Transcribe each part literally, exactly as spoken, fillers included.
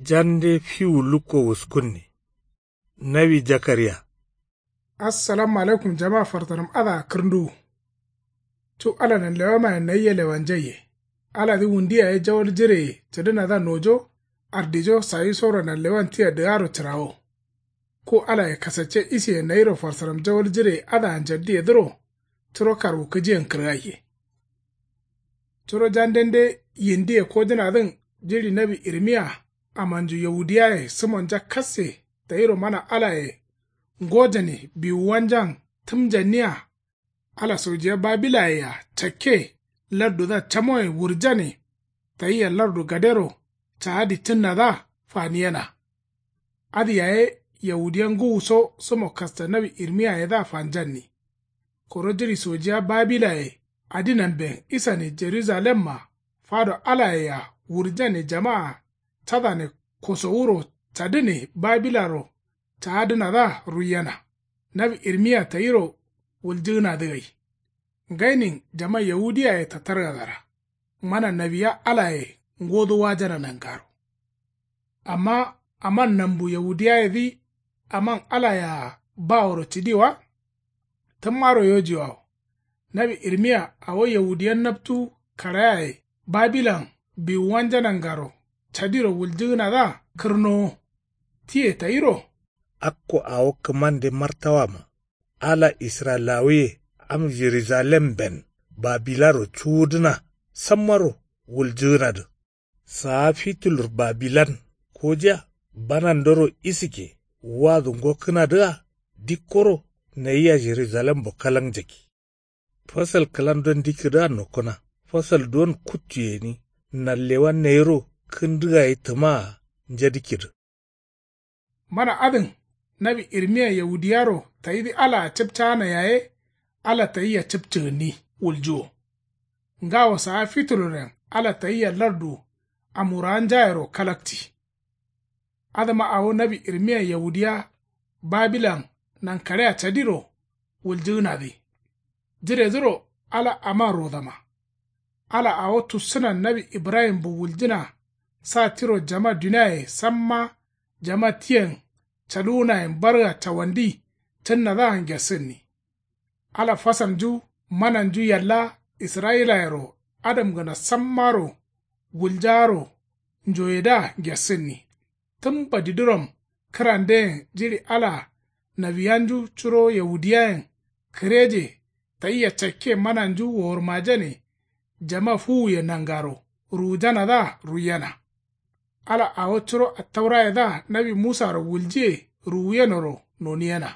Jande fiwu lukko wuskunne. Nawi jakariya. Assalamu alaikum jama fartaram adǝa kǝrnduwu. Cu ala nanlewamaye nayia lewanjaiye. Aladǝ wundu yaye jawal jireye cǝdǝnadǝa nojo ardijo sayisoro nanlewan tia dǝgaro cǝrawo. Ku alaye kasacce isiye nayiro farsaram jawal jireye adǝa njaddiyedǝro. Curo karwukǝjiyen kǝrgaiye. Curo jandende yindiye kojǝnadǝn jiɍi nawi irmiya amanju yaudiyaye sǝmonja kasse tayiro mana alaye ngojane biwuwanjan tǝmjanniya. Ala sojiya babilayea cakke lardudǝa camoye wurjane tayia lardu gadero caadi cǝnnadǝa faniyena. Adǝ yaye yaudiya ngǝwuso sǝmo kasta nawi irmiyayedǝa fanjanni. Koro jiɍi sojiya babilaye adinamben isane jerujalemma fado alayea wurjane jamaa cadane kosowuro cadǝne babilaro caadǝnadǝa ruiyena. Nawi irmiya tayiro wuljǝgǝnadǝ gai. Ngainin jama yaudiyaye tattargadara. Mana nawiya alaye ngodu wajana nangaro. Amma aman nambu yaudiyayedǝ aman alayea baworo cǝdi wa. Tǝmmaro yojiwawo. Nawi irmiya awo yaudiya naptu karayaye babilan biwuwanja nangaro cadiro wuljǝgǝnadǝa kǝrnowo. Tiye tayiro. Akko awo kǝmande martawama ala israyilawuye am jerujalemben babilaro cuwudǝna sammaro wuljǝgǝnadǝ. Saa fitulur babilan kojiya banandoro isǝkke wadu ngokkǝnadǝa dikkoro nayia jerujalembo kalangjaki. Fasal kǝlan don dikkǝdǝa nokkǝna fasal don kuttu gǝni nanlewa nayiro kǝndǝ gayi tǝmaa njadikkǝdǝ. Mana adǝn nawi irmiya yaudiyaro tayidǝ alaa cǝpcaana yaye ala tayia cǝpcǝgǝnni wuljuwo. Ngawo saa fituluren ala tayia lardu amurawanjayero kalakci. Adǝma awo nawi irmiya yaudiya babilan nankaɍea cadiro wuljǝgǝnadǝ. Jiredǝro ala aman rodama. Ala awo tussǝnan nawi ibrahimbu wuljǝna sa tiro jama duniaye samma jama tiyen caluwunayen barga cawandi cǝnnadǝa ngesǝnni. Ala fasalnju mananju yalla israyilayero adamgǝna sammaro wuljaaro njoyedǝa ngesǝnni. Tǝm badidǝrom kǝrandǝyen jiɍi ala nawiyanju curo yaudiyayen kǝreje tayia cakke mananju wowurmajane jama fuwuye nangaro ruwujanadǝa ruiyena. Ala awo curo attaurayedǝa nawi musaro wuljiye ruwuyenoro noniyena.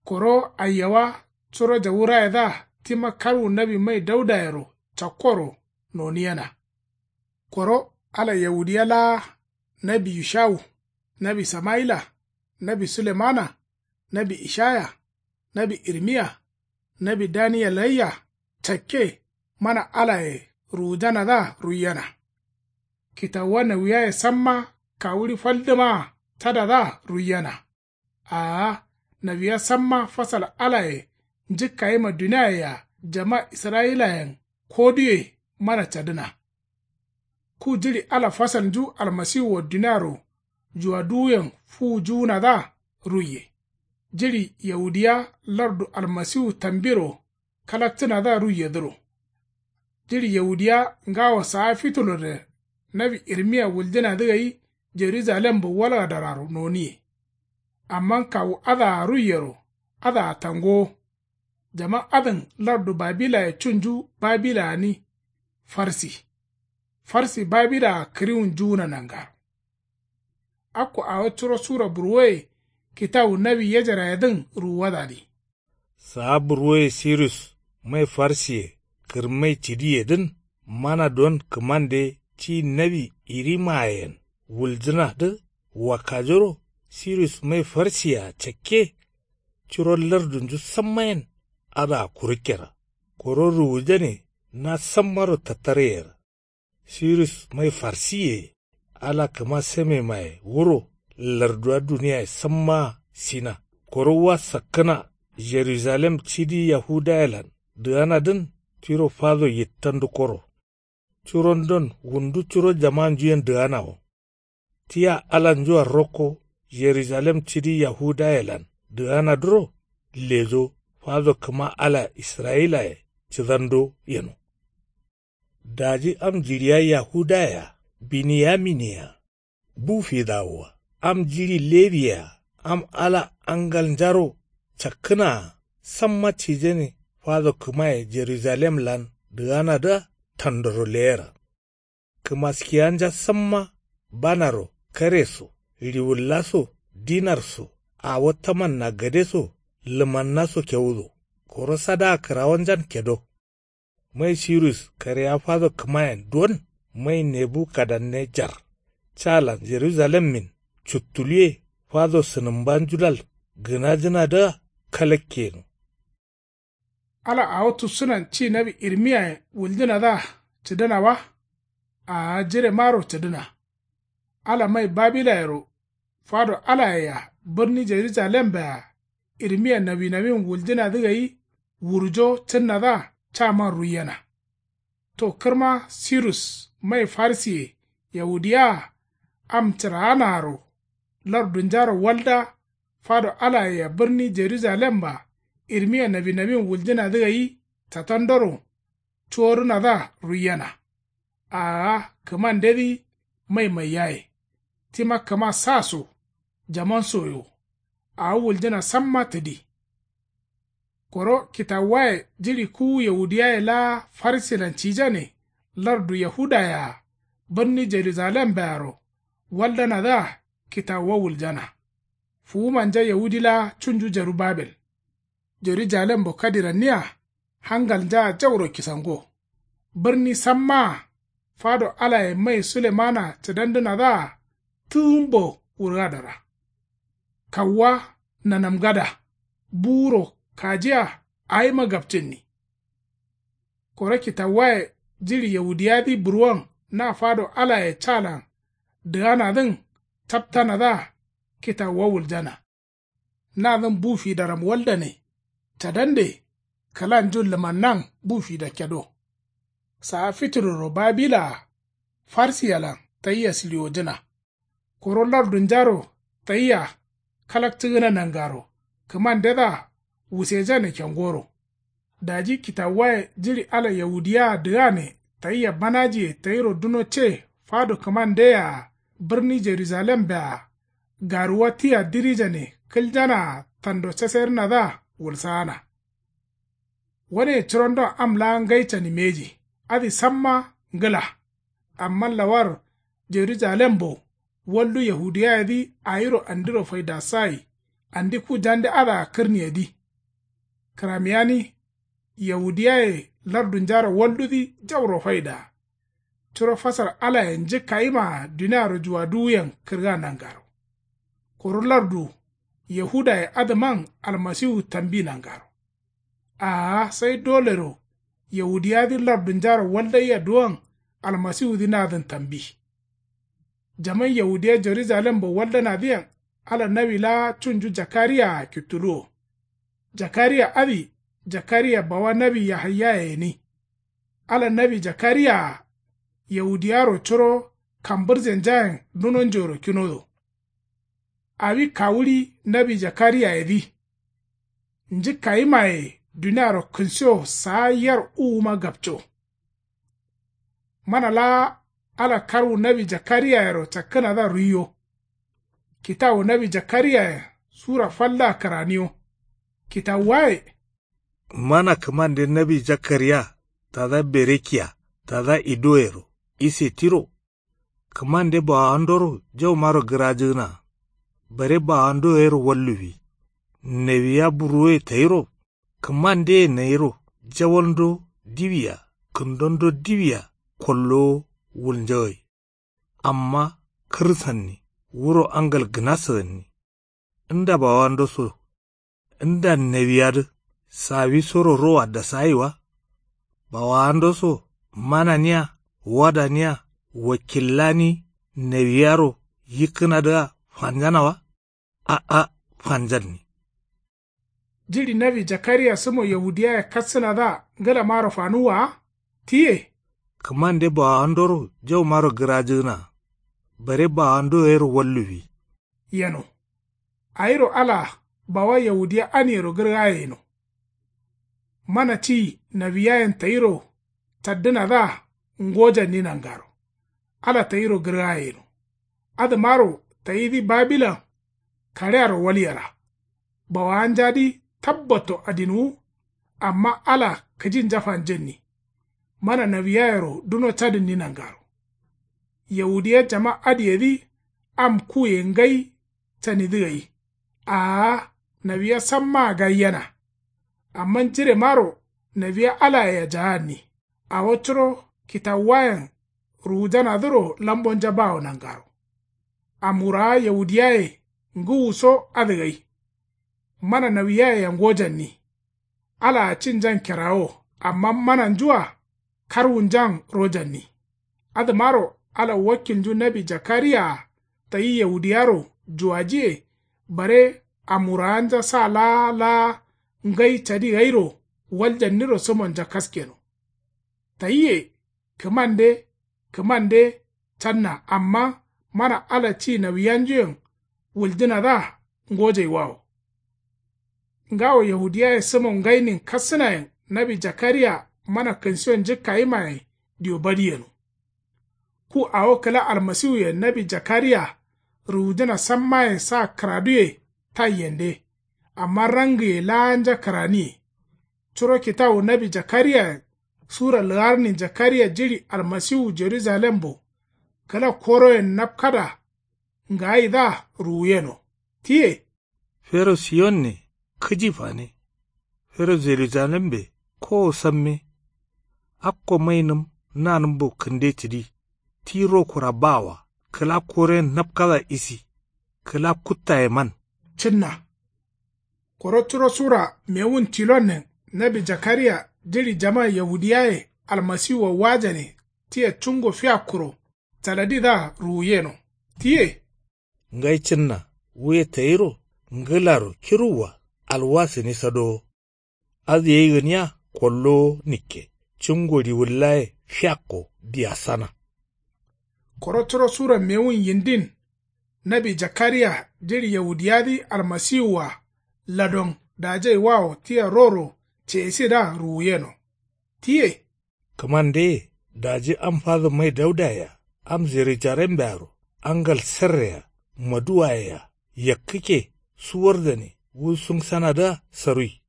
Koro aiyawa curo jawurayedǝa tima karwu nawi mai daudayero cakkoro noniyena. Koro ala yaudiya laa nawi yushawu, nawi samayila, nawi sulemana, nawi ishaya, nawi irmiya, nawi daniyelayia cakke mana alaye ruwujanadǝa ruiyena. Kitawuwa nawiyaye samma kawuɍi faldǝmaa cadadǝa ruiyena. Aa nawiya samma fasal alaye njǝkkayima duniayea jama israyilayen koduye mana cadǝna. Ku jiɍi ala fasalnju almasiwuwo duniaro juwaduwuyen fuwujuwunadǝa ruiye. Jiɍi yaudiya lardu almasiwu tambiro kalaktǝnadǝa ruiyedǝro. Jiɍi yaudiya ngawo saa fitulurre nawi irmiya wuljǝnadǝ gai jerujalembo walgadararo noniye. Amma kawu adǝa ruiyero adǝa tangowo. Jaman adǝn lardu babilaye cunju babilagǝni farsi. Farsi babilaga kǝriwun juwuna nangaro. Akko awo curo sura burwoye kitawu nawi yejerayedǝn ruwuwadadǝ. Saa burwoye sirus mai farsiye kǝrmai cǝdiyedǝn mana don kǝmande ti nawi irimayen wuljǝnadǝ. Wakkajoro sirus mai farsiyea cakke curo lardunju sammayen adǝa kurukkena. Koro ruwujane na sammaro tattaryena. Sirus mai farsiye ala kǝma samemaye wuro larduwa duniyaye sammaa sina. Koro wa sakkǝna jerusalem cidi yahudayelan dǝganadǝn tiro fado yittandukoro. Curondon wundu curo jamanjuyen dǝganawo. Tia alanjua rokko jerusalem cidi yahudayelan dǝganadǝro lejo fado kǝma ala israyilaye cǝdando yeno. Daji am jiɍiya yahudaye-a biniyamine-a bu fidawo-a am jiɍi lewiye-a am ala angalnjaro cakkǝna-a samma cijane fado kǝmaye jerujalemlan dǝganadǝa tandoro leyera. Kǝmaskiyanja samma banaro kare so riwulla so dinar so awo tamanna gade so lǝmanna so kewudo. Koro sadaa kǝrawonjan kedo. Mai sirus kareya fado kǝmayen duwon mai nebukadanne jar calan jerujalemmin cuttuluwe fado sǝnǝmbanjulal gǝnajǝnadǝa kalakke yeno. Ala awo tusunan ci nawi irmiyayen wuljǝnadǝa cǝdǝna wa? Aa jiremaro cǝdǝna. Ala mai babilayero fado alayea bǝrni jerujalembeya irmiya nawinawin wuljǝnadǝ gai wurjo cǝnnadǝa caman ruiyena. To kǝrma sirus mai farsiye yahudiyaa am cǝraanaaro lardunjaro walda fado alayea bǝrni jerujalemba irmiya nawinawin wuljǝnadǝ gai catandoro cuworǝnadǝa ruiyena. Aa kǝmandedǝ mai maiyaye tima kǝma sa so jaman soyo. Awo wuljǝna samma tǝdi. Koro kitawuwaye jiɍi kuwu yahudiyaye laa farsilan cijane lardu yahudayea bǝrni jerujalembearo waldanadǝa kitawuwa wuljana. Fuwumanja yahudi laa cunju jerubabel. Jerujalembo kadiranniya hangalnjaa jauro kisango. Bǝrni sammaa fado alaye mai sulemana cǝdandǝnadǝa tǝgǝmbo wurgadara. Kawuwa nanamgada buwuro kajiya awima gapcǝnni. Koro kitawuwaye jiɍi yahudiyadǝ burwon na fado alaye calan dǝganadǝn captanadǝa kitawuwa wuljana. Nadǝn bu fidaram waldane cadande kǝlanjun lǝmannan bu fida kedo. Saa fituroro babilaa farsiyalan tayia sǝliwojǝna. Koro lardunjaro tayia kalakcǝgǝna nangaro kǝmandedǝa wusejane kengoro. Daji kitawuwaye jiɍi ala yahudiyaa dǝgane tayia banajiye tayiro duno ce fado kǝmandeyea bǝrni jerujalembeya garuwa tia dirijane kǝljanaa tando caserǝnadǝa wulsaana. Waneye curondon am laa ngai cani mbeji adǝ samma ngǝla. Amma lawar jerujalembo waldu yahudiyayedǝ awiro andiro faidasayi andi ku jande adǝa kǝrniyedǝ. Kǝramiyani yahudiyaye lardunjaro waldudǝ jauro faidaa. Curo fasar alaye njǝkkayimaa duniaro juwaduwuyen kǝrga nangaro. Kuru lardu yahudaye adǝman almasiwu tambi nangaro. Aa sai dolero yahudiyadǝ lardunjaro waldaiya duwon almasiwudǝ nadǝn tambi. Jaman yahudiya jerujalembo waldanadǝyen ala nawi laa cunju jakariyaa kittuluwo. Jakariya adǝ jakariya bawa nawi yahayyaye gǝni. Ala nawi jakariyaa yahudiyaro curo kambǝrjenjayen dunonjoro kinodo. Awi kawuɍi nawi jakariyayedǝ njǝkkayimaye duniaro kǝnsiwo saa yar uwuma gapco. Mana laa ala karwu nawi jakariyayero cakkǝnadǝa ruiyo. Kitawu nawi jakariyayen sura fallaa kǝraniyo. Kitawuwaye. Mana kǝmande nawi jakariya tada berekiya tada idoyero ise tiro. Kǝmande bawawandoro jaumaro gǝrajǝgǝna. Bare bawando yero walluwi. Newiya buruwe tayiro kǝmandeye nayiro jawalndo diwiya kǝndondo diwiya kollowo wulnjagai. Amma kǝrsanni wuro angal gǝna sǝgǝnni. Nda bawando so nda newiyadǝ sawisoro rowa dasayi wa? Bawawando so mananiya wadaniya wakillani newiyaro yikkǝnadǝa fanjana wa? A'a fanjanni. Jiɍi nawi jakariya sǝmo yahudiyaye kassǝnadǝa ngǝlamaro fanuwwa wa? Tiye. Kǝmande bawawandoro jaumaro gǝrajǝgǝna. bare bawandu gairo walluwi. Yeno. Awiro ala bawa yaudiya aniyero gǝrgaye yeno. Mana ti nawiyayen tayiro caddǝnadǝa ngojanni nangaro. Ala tayiro gǝrgaye yeno. Adǝmaro tayidǝ babilan kaɍearo walyera. Bawanjadǝ tabbatto adinwu. Amma ala kǝjinja fanjenni. Mana nawiyayero duno cadǝnni nangaro. Yaudiya jama adǝyedǝ am kuye ngai canidǝ gai. Aa nawiya sammaa gaiyena. Amma jiremaro nawiya alayea jaanni. Awo curo kitawuwayen ruwujanadǝro lambonja bawo nangaro. Amwurawa yaudiyaye ngǝwuso adǝ gai. Mana nawiyayea ngojanni. Alaa cinjan kerawo amma mananjua karwunjan rojanni. Adǝmaro ala wakkilnju nawi jakariyaa tayi yaudiyaro juwajiye bare amwurawanja sa laa laa ngai cadi gairo waljanniro sǝmonja kaskeno. Tayiye kǝmande kǝmande canna amma mana ala ci nawiyanjuyen wuljǝnadǝa ngojaiwawo. Ngawo yahudiyaye sǝmo ngainin kassǝnayen nawi jakariya mana kǝnsiyo njǝkkayimayen diyo badi yeno. Ku awo kǝla almasiwuyen nawi jakariya ruwujǝna sammaye sa kǝraduye taiyende. Amma rangǝye laanja kǝraniye. Curo kitawu nawi jakariyayen sura lǝgarnin jakariya jiɍi almasiwu jerujalembo kǝla koroyen napkada ngaayidǝa ruwuyeno. Tiye. Fero siyonne kǝji fane. Fero jerujalembe kowo samme. Akko mainǝm nanǝmbo kǝnde cǝdi. Ti rokura bawa kǝla koroyen napkada isi. Kǝla kuttaye man. Cǝnna. Koro curo sura mewun tilonnen nawi jakariya jiɍi jama yahudiyaye almasiwua wajane tia cungo fiakkuro caladidǝa ruwuyeno. Tiye. Ngai cǝnna wuye tayiro ngǝlaro kiruwwa alwasǝni sadowo. Adǝ yai gǝniya kollowo nikke cungo riwullaye fiakko diyasana. Koro curo sura mewun yindin nawi jakariya jiɍi yahudiyadǝ almasiwua ladon dajaiwawo tia roro ceyesidǝa ruwuyeno. Tiye. Kǝmandeye daji am fadǝ mai daudayea am jerujalembearo angal serreyea maduwayea yakkǝkke suwardane wu sǝngsanadǝa sarui.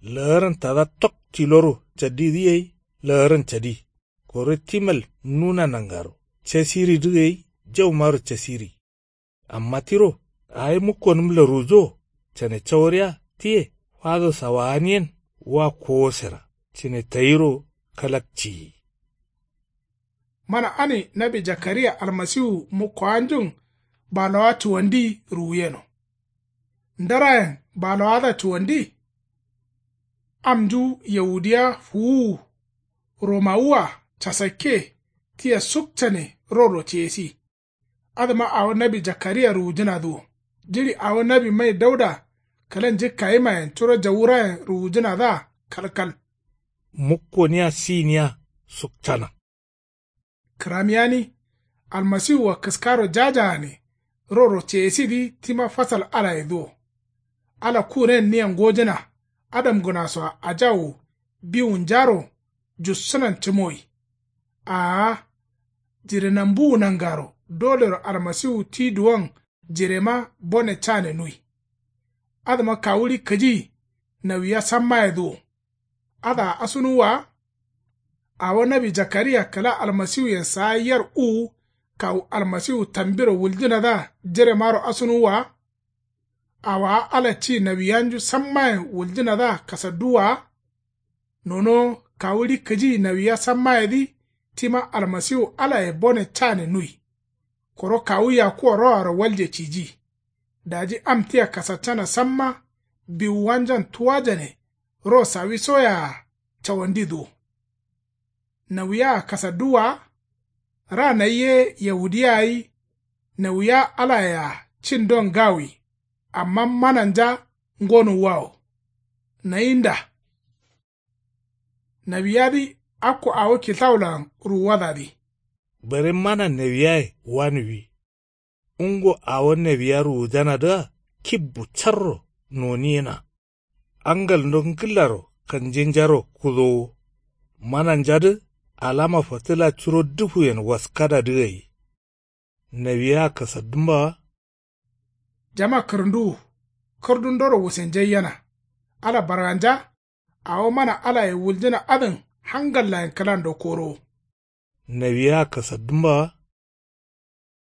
Lagaran tada tok tiloro caddidǝ gai lagaran cadi. Koro timal nuna nangaro casiridǝ gai jaumaro casiri. Amma tiro awo mukkonǝm laruwujo cane caworiya tiye fado sawaaniyen wa kowosera cǝne tayiro kalak ciyi. Mana ani nawi jakariya almasiwu mukkowanjun balowa cuwandi ruwuyeno. Ndarayen balowadǝa cuwandi. Amnju yahudiya fuwuwu romawua casakke tia suk cane roro ceyesi. Adǝma awo nawi jakariya ruwujǝnadǝ wo jiɍi awo nawi mai dauda kǝla njǝkkayimayen curo jawurayen ruwujǝnadǝa kalkal. Mukkoniya siyiniya suktana. Kǝramiyani almasiwua kǝskaro jajagane roro ceyesidǝ tima fasal alayedǝ wo. Ala kuren nia ngojǝna adamgǝnasoa ajawu biwunjaro jussǝnan cǝmowi. Aa jire nambuwu nangaro dolero almasiwu ti duwon jirema bone cane nui. Adǝma kawuɍi kǝji nawiya sammayedǝ wo. Adǝa asunuwwa wa. Awo nawi jakariya kǝla almasiwuyen saa yar uwu kawu almasiwu tambiro wuljǝnadǝa jiremaro asunuwwa wa. Awowa ala ci nawiyanju sammayen wuljǝnadǝa kasadduwwa wa. Nonowo kawuɍi kǝji nawiya sammayedǝ tima almasiwu alaye bone cane nui. Koro kawu yakuwa roaro walje ciji. Daji am tia kasaccana samma biwuwanjan tuwajane ro sawisoyea cawandidǝ wo. Nawiyea kasadduwwa wa. Ra nayi ye yahudiya gai nawiya alayea cindon ngawi. Amma mananja ngonuwwa wo. Nayi nda. Nawiyadǝ akko awo kitawulan ruwuwadadǝ. Bare mana nawiyaye wanuwi. Ungo awo nawiya ruwujanadǝa kibbu carro noniyena. Angalndo ngǝllaro kanjenjaro kudowo. Mananjadǝ alama fatǝla curo dufuyen waskadadǝ gai. Nawiya kasaddǝmbawa. Jama kǝrǝnduwu. Kǝrdundoro wusenjaiyena. Ala barganja. Awo mana alaye wuljǝna adǝn hangallayen kǝlando korowo. Nawiya kasaddǝmbawa.